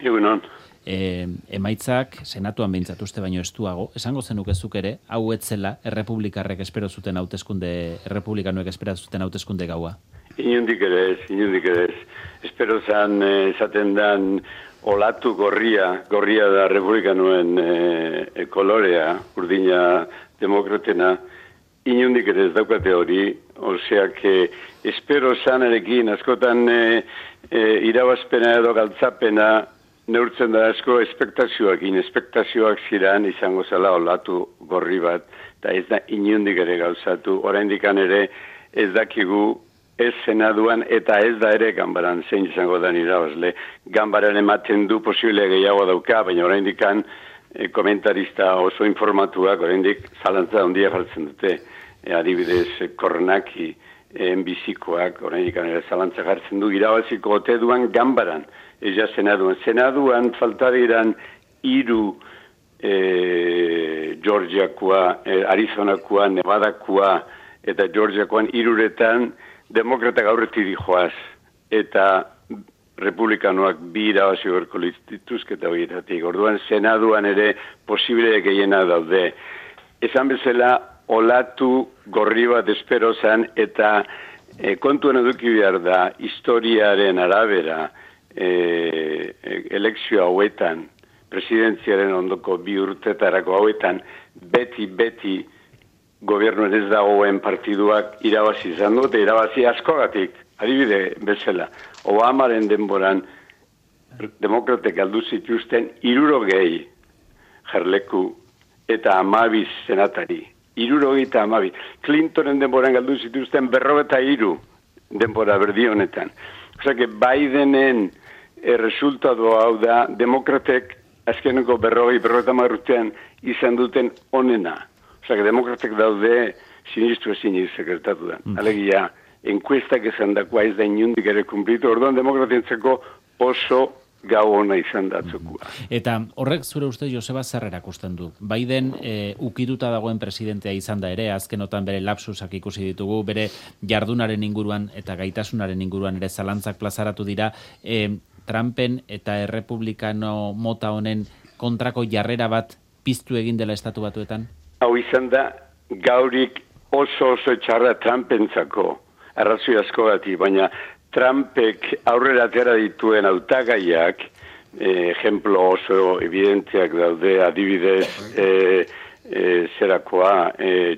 Egunon. Emaitzak senatuan behintzat uste baino estuago, esango zenukezuk ere, hau etzela errepublikarrek espero zuten hauteskunde, errepublikanoek espero zuten hauteskunde gaua. Inundik ere ez. Espero zan esaten dan olatu gorria da republikanoen kolorea, urdina demokratena, inundik ere ez daukate hori, oseak espero zanarekin askotan irabazpena edo galtzapena neurtzen da asko espektazioak ziren izango zela olatu gorri bat, eta ez da inundik ere gauzatu, oraindikan ere ez dakigu ez senaduan eta ez da ere ganbaran zein izango da irabazle. Ganbaran ematen du posible gehiago dauka, baina oraindikan komentarista oso informatuak oraindik zalantza handia jartzen dute. Adibidez, Kornaki enbizikoak oraindikan ere zalantza jartzen du irabaziko ote duan ganbaran. Eza senaduan. Senaduan falta diran 3 Georgiakoa, Arizonakoa, Nevadakoa eta Georgiakoan 3 demokratak aurretik dijoaz. Eta republikanoak 2 irabazi berko lituzketa horietatik. Orduan senaduan ere posible gehiena daude. Esan bezala olatu gorri bat espero zan eta kontuan eduki behar da historiaren arabera elekzio hauetan, presidentziaren ondoko 2 urtetarako hauetan, beti gobernuen ez dagoen partiduak irabazi izan dute, irabazi askogatik, adibide bezala. Obamaren denboran demokratek galdu zituzten 60 jarleku eta 12 senatari. 62. Clintonen denboran galdu zituzten 43 denbora berdi honetan. Osea, Bidenen resultatu hau da, demokratek azkeneko 50 urtean izan duten onena. Osea, demokratek daude sinistu ezin gertatu da. Alegia, enkuestak esan dakoa ez da inundik ere kumplitu, orduan demokratientzako oso gau ona izan datzokua. Eta horrek zure uste Joseba zer erakusten du? Biden ukituta dagoen presidentea izan da ere, azkenotan bere lapsusak ikusi ditugu, bere jardunaren inguruan eta gaitasunaren inguruan ere zalantzak plazaratu dira, Trumpen eta errepublikano mota honen kontrako jarrera bat piztu egin dela estatu batuetan? Hau izan da gaurik oso txarra Trumpentzako, arrazoi askogati, baina Trumpek aurrera atera dituen hautagaiak, ejemplo oso evidenteak daude, adibidez,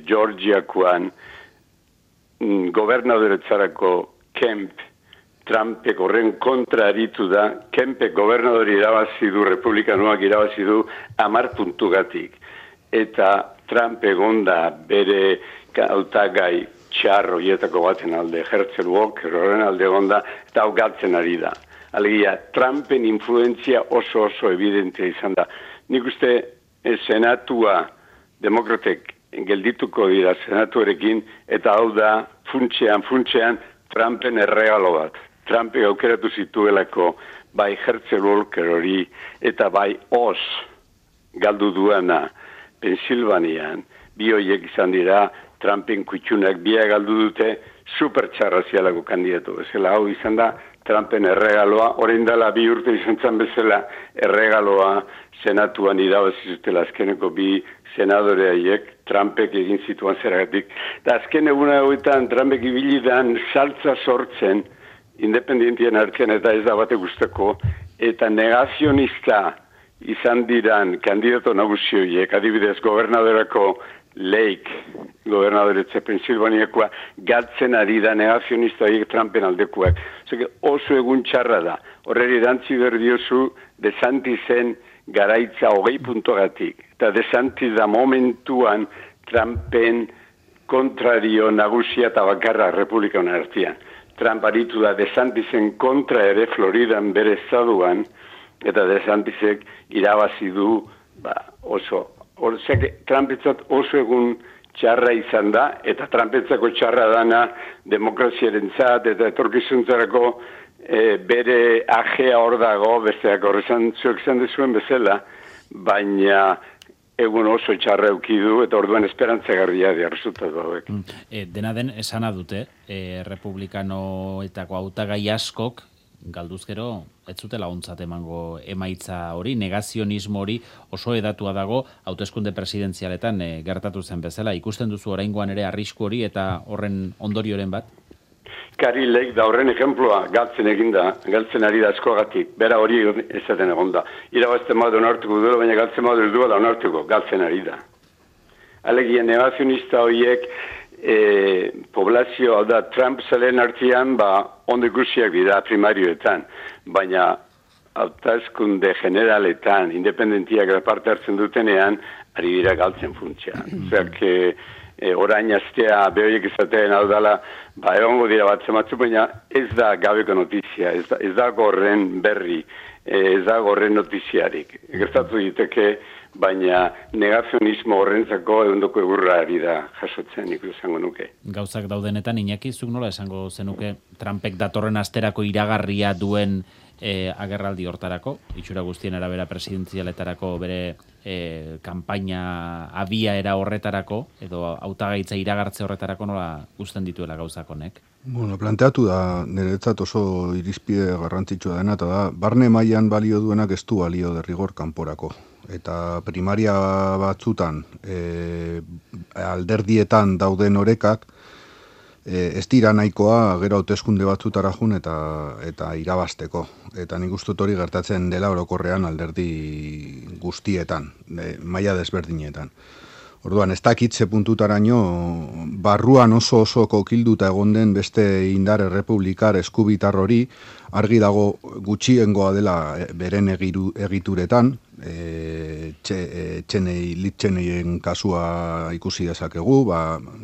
Georgiakoan, gobernadoretzarako Kemp, Trumpek horren kontra aritu da, Kempek gobernadori irabazi du, republikanoak irabazi du 10 puntugatik. Eta Trump egonda bere hautagai txarro hietako baten alde, Herschel Walker horren alde egonda, eta hau galtzen ari da. Alegia, Trumpen influentzia oso evidentea izan da. Nik uste senatua demokratek geldituko dira senatuarekin, eta hau da funtsean Trumpen erregalo bat. Trumpek aukeratu zituelako bai Herschel Walker hori eta bai Oz galdu duena Pensilvanian, bi horiek izan dira Trumpen kutxunak bia galdu dute supertxarrazialako kandidatu. Bezala hau izan da Trumpen erregaloa, orain dela 2 urte izan zan bezala erregaloa senatuan irabazi zutela azkeneko 2 senadore haiek Trumpek egin zituan zeragatik. Eta azken eguna hauetan Trumpek ibilidan saltza sortzen independentien artean eta ez da bate guztako, eta negazionista izan diran kandidato nagusi horiek, adibidez gobernadorako Lake, gobernadoretze Pensilvaniakoa, galtzen ari da negazionista horiek Trumpen aldekuak. Oso egun txarra da. Horreri erantzi berdiozu DeSantisen garaitza 20 puntogatik. Eta DeSantis da momentuan Trumpen kontrario nagusia eta bakarra republikana artean. Trump aritu da DeSantisen kontra ere Floridan bere estaduan, eta DeSantisek irabazi du oso. Trumpetzat oso egun txarra izan da, eta Trumpetzako txarra dana demokraziarentzat eta etorkizuntzarako bere ajea hor dago, besteak horrezan zuek izan dezuen bezala, baina egun oso txarra eukidu eta orduan esperantzagarria dira resultatu hauek. Dena den esana dute, republikanoetako hautagai askok galduzkero, ez zutela ontzat emango emaitza hori, negazionismo hori oso edatua dago hauteskunde presidentzialetan gertatu zen bezala. Ikusten duzu oraingoan ere arrisku hori eta horren ondorioren bat? Karilek da horren ejemploa galtzen eginda, galtzen ari da askogatik, bera hori ezaten egonda. Irabazten badu onartuko duela, baina galtzen badu ez duela onartuko, galtzen ari da. Alegia negazionista horiek poblazio, da Trump zelen artean, ondo ikusiak dira primarioetan, baina hauteskunde generaletan, independentiak parte hartzen dutenean, ari dira galtzen funtsia. Zerk, orain astea behoiek izateen hau dala, egongo dira bat zematzu, baina ez da gabeko notizia, ez da gorren berri, ez da gorren notiziarik. Gertatu diteke, baina negazionismo horrentzako egundoko egurra ari da jasotzen, nik esango nuke. Gauzak daudenetan, Iñaki, zuk nola esango zenuke Trumpek datorren asterako iragarria duen agerraldi hortarako, itxura guztien arabera presidentzialetarako bere kanpaina abiaera horretarako, edo hautagaitza iragartze horretarako nola uzten dituela gauzak honek? Bueno, planteatu da, niretzat oso irizpide garrantzitsua dena, eta da, barne mailan balio duenak ez du balio derrigor kanporako. Eta primaria batzutan, alderdietan dauden orekak, ez dira nahikoa gero hauteskunde batzutara jun eta irabasteko. Eta nik uste hori gertatzen dela orokorrean alderdi guztietan, maila desberdinetan. Orduan, ez dakit ze puntutaraino, barruan oso kokilduta egon den beste indar errepublikar eskubitar hori, argi dago gutxiengoa dela beren egituretan, litxeneien kasua ikusi dezakegu,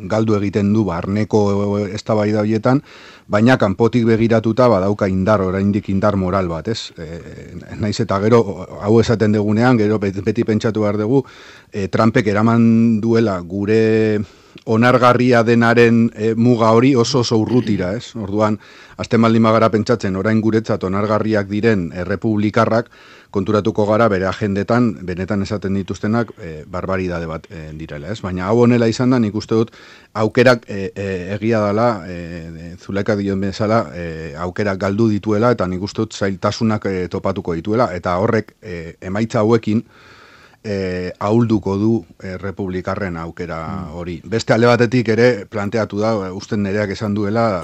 galdu egiten du barneko eztabaida horietan, baina kanpotik begiratuta badauka oraindik indar moral bat, ez? Naiz eta gero, hau esaten degunean, gero beti pentsatu behar dugu, Trumpek eraman duela gure onargarria denaren muga hori oso urrutira, ez? Orduan, azten baldin bagara pentsatzen, orain guretzat onargarriak diren errepublikarrak, konturatuko gara bere agendetan, benetan esaten dituztenak, barbaridade bat direla, ez? Baina hau honela izan da, nik uste dut, aukerak egia dela, Zuleka dion bezala, aukerak galdu dituela, eta nik uste dut zailtasunak topatuko dituela, eta horrek emaitza hauekin, ahulduko du republikarren aukera hori. Beste alde batetik ere planteatu da, usten nereak esan duela,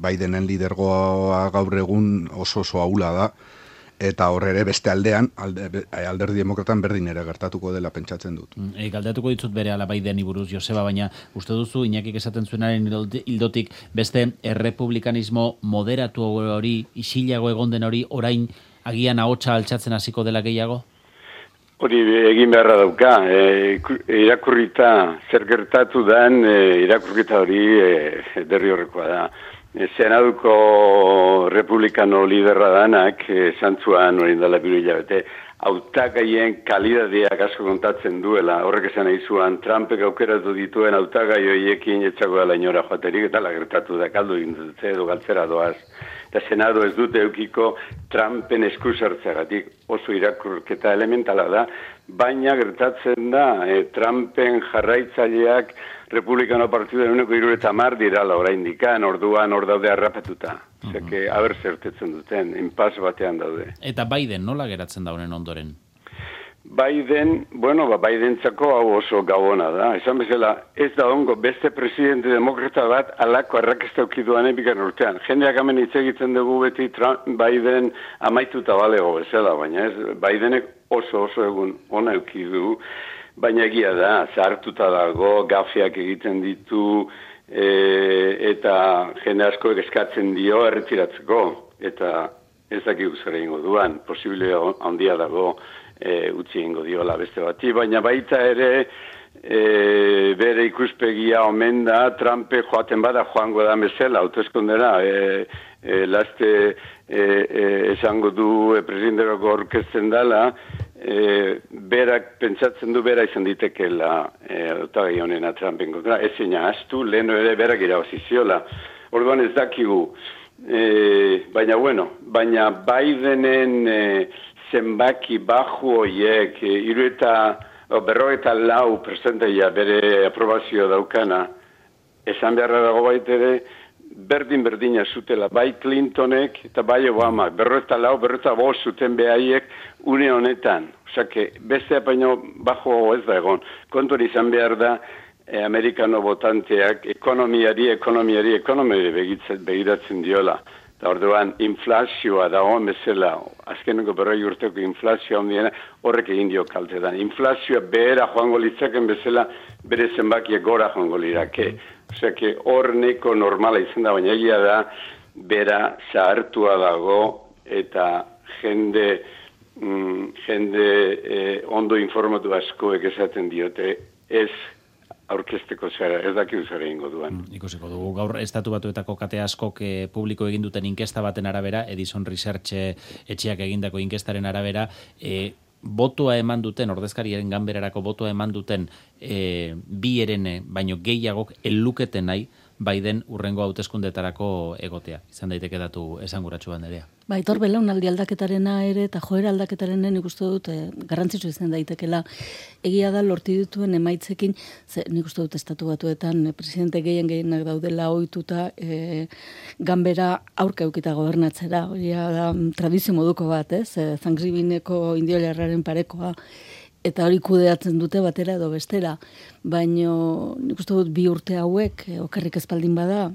Bidenen lidergoa gaur egun oso ahula da, eta hor ere beste aldean, alderdi demokratan berdin ere gertatuko dela pentsatzen dut. Galdeatuko ditut bere ala Bideni buruz, Joseba, baina uste duzu, Iñakik esaten zuenaren hildotik, beste errepublikanismo moderatu hori, isilago egon den hori, orain agian ahotsa altxatzen hasiko dela gehiago? Hori egin beharra dauka, irakurrita zer gertatu den, irakurrita hori derri horrekoa da. Senaduko republikano liderra danak, santzuan hori indala biru hilabete, hautagaien kalidadeak asko kontatzen duela, horrek esan nahi zuan, Trumpek aukeratu dituen hautagai horiekin etxako dela inora joaterik, eta gertatu da, kaldu egin dute edo galtzera doaz. Eta Senado ez dute eukiko Trumpen eskusartzeagatik oso irakurketa elementala da, baina gertatzen da, Trumpen jarraitzaileak Republikano Partiduen uneko 70 dirala oraindikan, orduan hor daude harrapetuta. Zeke, aber zertetzen duten, inpas batean daude. Eta Biden nola geratzen da honen ondoren? Biden, Bidentzako hau oso gabona da. Esan bezala, ez da ongo beste presidente demokrata bat alako arrakesta ukiduan epikan urtean. Jendeak hemen hitz egiten dugu beti Biden amaituta balego bezala, baina ez, Bidenek oso egun ona eukidu, baina egia da, zahartuta dago, gafiak egiten ditu, eta jende asko eskatzen dio erretiratzeko, eta ez dakik zer egingo duan, posible handia dago, utzi egingo diola beste bati, baina baita ere bere ikuspegia omen da, Trumpe joaten bada joango da bezala, hauteskundera, laste esango du presidenterako orkesten dela, berak pentsatzen du bera izan ditekeela hautagai honena Trumpen kontra, ezin ahaztu, leheno ere berak irabaziziola. Orduan ez dakigu, baina Bidenen zenbaki baju horiek, 54% bere aprobazio daukana, esan beharra dago baitere, berdina zutela, bai Clintonek eta bai Obama, 44 zuten behaiek une honetan. Osake, beste baino bajo ez da egon. Kontuan izan behar da, amerikano votanteak ekonomiari begiratzen diola. Eta orduan, inflazioa da hon bezala, azkeneko 40 urteko inflazioa ondiena, horrek egin dio kaltetan. Inflazioa behera joango litzaken bezala, bere zenbakiak gora joango lirake. Osea, hor neko normala izan da, baina egia da, bera zahartua dago, eta jende ondo informatu askoek esaten diote, ez aurkezteko zara, ez dakidu zara ingo duan. Ikusiko dugu, gaur Estatu Batuetako kate askok publiko egin duten inkesta baten arabera, Edison Research etxeak egindako inkestaren arabera, botoa eman duten, ordezkariaren ganberarako botoa eman duten bi herene, baino gehiagok eluketen nahi Biden urrengo hauteskundetarako egotea. Izan daiteke datu esanguratsu banderea. Baitor belaunaldi aldaketarena ere eta joera aldaketarena nik uste dut garrantzitsu izan daitekela. Egia da lortu dituen emaitzekin, nik uste dut Estatu Batuetan presidente gehienak daudela ohituta ganbera aurka eukita gobernatzera. Hori da tradizio moduko bat, ez? Thanksgivingeko indiolarraren parekoa. Eta hori kudeatzen dute batera edo bestera. Baino nik uste dut 2 urte hauek, okerrik espaldin bada,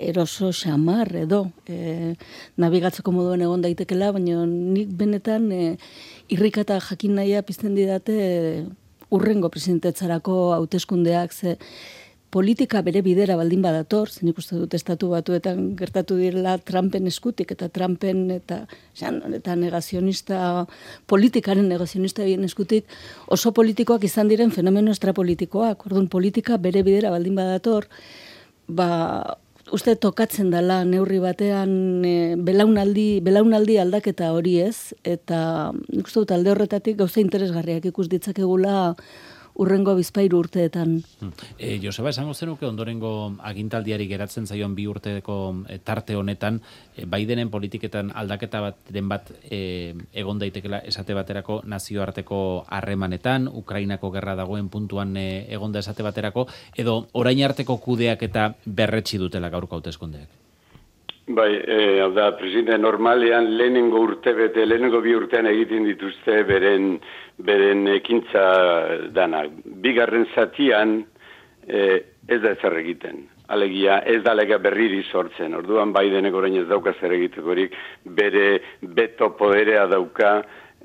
eroso xamar edo, nabigatzeko moduen egon daitekela, baino nik benetan irrikata jakin nahia pizten didate urrengo presidentetzarako hauteskundeak, ze politika bere bidera baldin badator, nik uste dut Estatu Batuetan gertatu direla Trumpen eskutik, eta Trumpen eta negazionista, politikaren negazionista bien eskutik, oso politikoak izan diren fenomeno estrapolitikoak. Orduan, politika bere bidera baldin badator, uste tokatzen dela neurri batean belaunaldi aldaketa hori ez, eta nik uste dut alde horretatik gauza interesgarriak ikus ditzakegula urrengo bizpairu urteetan. Joseba, esango zenuke ondorengo agintaldiari geratzen zaion 2 urteko tarte honetan, Bidenen politiketan aldaketa bat egon daitekela esate baterako nazioarteko harremanetan, Ukrainako gerra dagoen puntuan egonda esate baterako, edo orain arteko kudeak eta berretsi dutela gaurko hauteskundeak? Bai, hau da, presidente normalean lehenengo 2 urtean egiten dituzte beren ekintza danak. Bigarren zatian ez da ezer egiten. Alegia, ez da lega berriri sortzen. Orduan Bidenek orain ez dauka zer egitekorik, bere beto poderea dauka,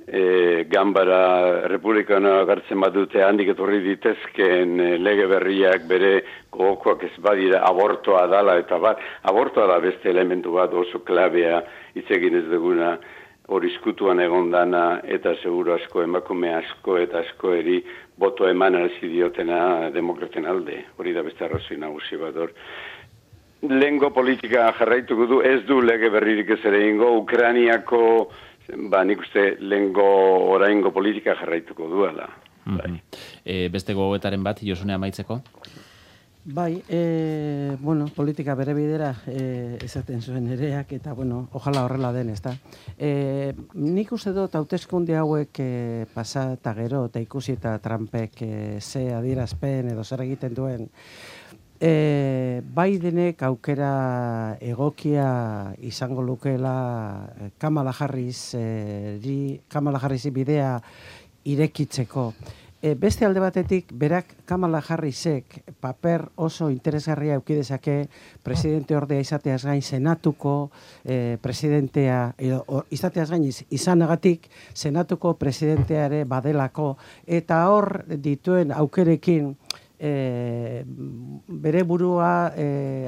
Ganbara Republikanoa gartzen badute handik etorri ditezken lege berriak bere gogokoak ez badira abortoa dala eta bat. Abortoa da beste elementu bat oso klabea hitz egin ez duguna hori izkutuan egon dana eta seguro asko emakume asko eta asko eri boto eman hasi diotena demokraten alde. Hori da beste arrazoi nagusi bat hor. Lehengo politika jarraituko du, ez du lege berririk ez ere ingo, Ukrainiako nik uste lehengo oraingo politika jarraituko duela. Beste gogoetaren bat, Josune amaitzeko? Bai, politika bere bidera esaten zuen ereak, eta, ojala horrela den, ezta. Nik uste dut hauteskunde hauek pasa eta gero, eta ikusi eta Trumpek ze adierazpen edo zer egiten duen, Bidenek aukera egokia izango lukeela Kamala Harrisi bidea irekitzeko. Beste alde batetik, berak Kamala Harrisek paper oso interesgarria eukidezake presidente ordea izateaz gain senatuko presidentea, izateaz gain izanagatik senatuko presidentea ere badelako, eta hor dituen aukerekin bere burua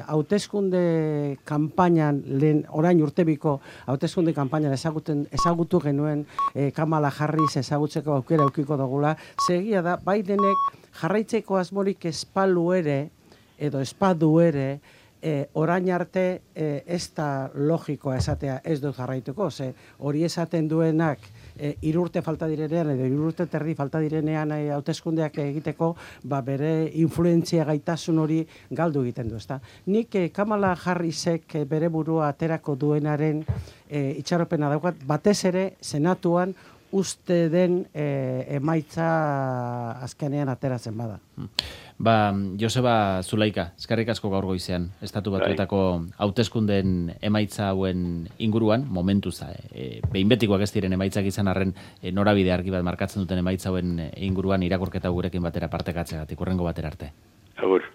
hauteskunde kanpainan orain urtebiko hauteskunde kanpainan ezagutu genuen Kamala Harris ezagutzeko aukera eukiko dugula. Segia da, Bidenek jarraitzeko asmorik espadu ere orain arte ez da logikoa esatea ez dut jarraituko, hori esaten duenak 3 urte falta direnean edo 3 urte terdi falta direnean hauteskundeak egiteko, bere influentzia gaitasun hori galdu egiten du, ezta. Nik Kamala Harrisek bere burua aterako duenaren itxaropena daukat, batez ere senatuan uste den emaitza azkenean ateratzen bada. Joseba Zulaika, eskerrik asko gaur goizean, Estatu Batuetako hauteskundeen emaitza hauen inguruan, momentuz, behin betikoak ez diren emaitzak izan arren norabide argi bat markatzen duten emaitza hauen inguruan irakurketa gurekin batera partekatzegatik, hurrengo batera arte. Agur.